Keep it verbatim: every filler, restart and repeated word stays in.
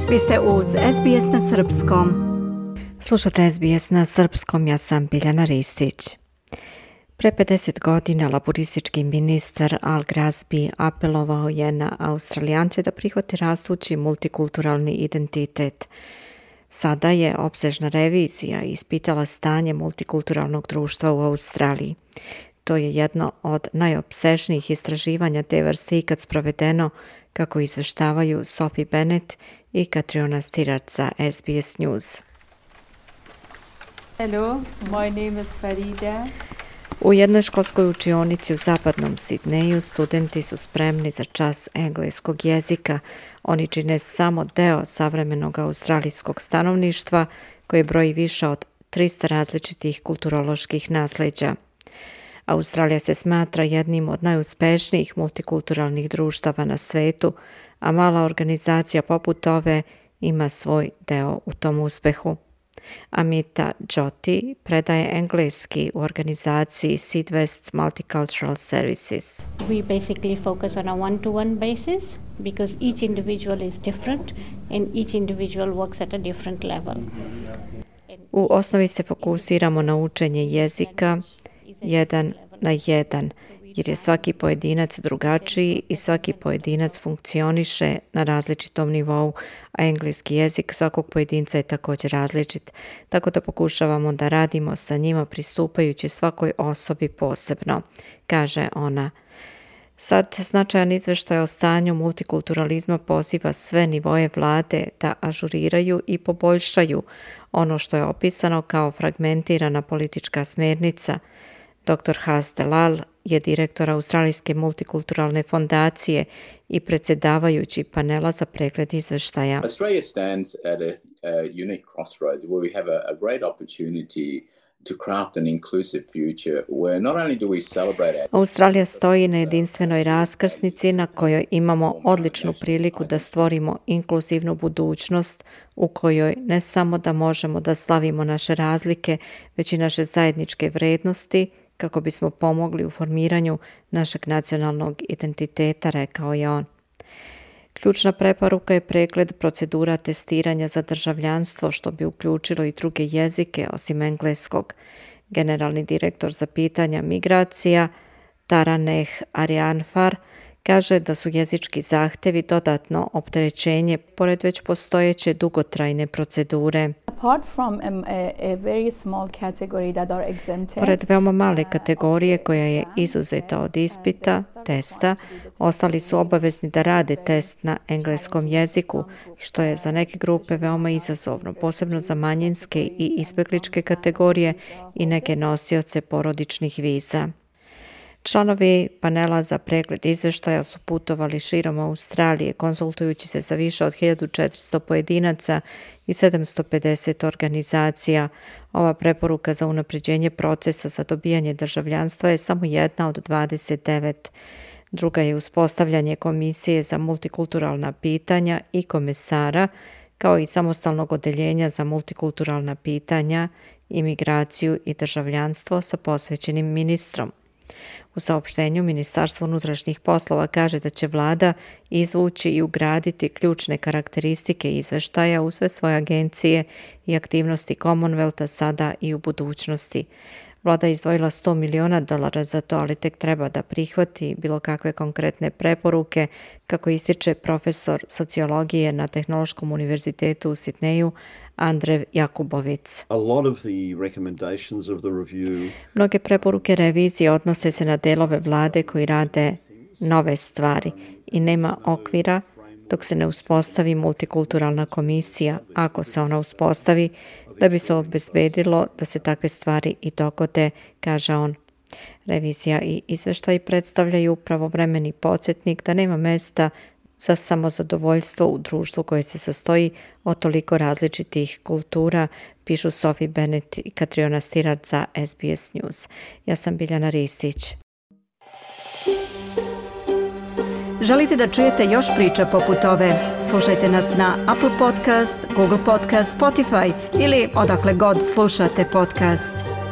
Vi ste uz S B S na srpskom. Slušate S B S na srpskom, ja sam Biljana Ristić. Pre pedeset godina laboristički ministar Al Grasby apelovao je na Australijance da prihvate rastući multikulturalni identitet. Sada je opsežna revizija ispitala stanje multikulturalnog društva u Australiji. To je jedno od najopsežnijih istraživanja te vrste ikad sprovedeno, kako izveštavaju Sophie Bennett i Katriona Stirard za S B S News. Hello, my name is Farida. U jednoj školskoj učionici u zapadnom Sidneju studenti su spremni za čas engleskog jezika. Oni čine samo deo savremenog australijskog stanovništva koje broji više od trista različitih kulturoloških nasleđa. Australija se smatra jednim od najuspešnijih multikulturalnih društava na svetu, a mala organizacija poput ove ima svoj deo u tom uspehu. Amita Jyoti predaje engleski u organizaciji Sydvest Multicultural Services. We basically focus on a one-to-one basis because each individual is different and each individual works at a different level. U osnovi se fokusiramo na učenje jezika jedan na jedan, jer je svaki pojedinac drugačiji i svaki pojedinac funkcioniše na različitom nivou, a engleski jezik svakog pojedinca je također različit, tako da pokušavamo da radimo sa njima pristupajući svakoj osobi posebno, kaže ona. Sad značajan izveštaj o stanju multikulturalizma poziva sve nivoje vlade da ažuriraju i poboljšaju ono što je opisano kao fragmentirana politička smjernica. doktor Has Delal je direktor Australijske multikulturalne fondacije i predsjedavajući panela za pregled izveštaja. Australia stands at a, a unique crossroads where we have a, a great opportunity to craft an inclusive future where not only do we celebrate our... Australija stoji na jedinstvenoj raskrsnici na kojoj imamo odličnu priliku da stvorimo inkluzivnu budućnost u kojoj ne samo da možemo da slavimo naše razlike, već i naše zajedničke vrednosti, kako bismo pomogli u formiranju našeg nacionalnog identiteta, rekao je on. Ključna preporuka je pregled procedura testiranja za državljanstvo, što bi uključilo i druge jezike osim engleskog. Generalni direktor za pitanja migracija Taraneh Arianfar kaže da su jezički zahtjevi dodatno opterećenje pored već postojeće dugotrajne procedure. Pored veoma male kategorije koja je izuzeta od ispita, testa, ostali su obavezni da rade test na engleskom jeziku, što je za neke grupe veoma izazovno, posebno za manjinske i izbjegličke kategorije i neke nosioce porodičnih viza. Članovi panela za pregled izveštaja su putovali širom Australije, konsultujući se sa više od hiljadu četiristo pojedinaca i sedamsto pedeset organizacija. Ova preporuka za unapređenje procesa za dobijanje državljanstva je samo jedna od dvadeset devet. Druga je uspostavljanje Komisije za multikulturalna pitanja i komesara, kao i samostalnog odeljenja za multikulturalna pitanja, imigraciju i državljanstvo sa posvećenim ministrom. U saopštenju Ministarstvo unutrašnjih poslova kaže da će vlada izvući i ugraditi ključne karakteristike izveštaja u sve svoje agencije i aktivnosti Commonwealtha sada i u budućnosti. Vlada je izdvojila sto miliona dolara za to, ali tek treba da prihvati bilo kakve konkretne preporuke, kako ističe profesor sociologije na Tehnološkom univerzitetu u Sidneju Andrev Jakubovic. Review... Mnoge preporuke revizije odnose se na delove vlade koji rade nove stvari i nema okvira dok se ne uspostavi multikulturalna komisija, ako se ona uspostavi, da bi se obezbedilo da se takve stvari i dogode, kaže on. Revizija i izveštaj predstavljaju pravovremeni podsjetnik da nema mesta za samozadovoljstvo u društvu koje se sastoji od toliko različitih kultura, pišu Sophie Bennett i Katriona Stirard za S B S News. Ja sam Biljana Ristić. Želite da čujete još priča poput ove? Slušajte nas na Apple Podcast, Google Podcast, Spotify ili odakle god slušate podcast.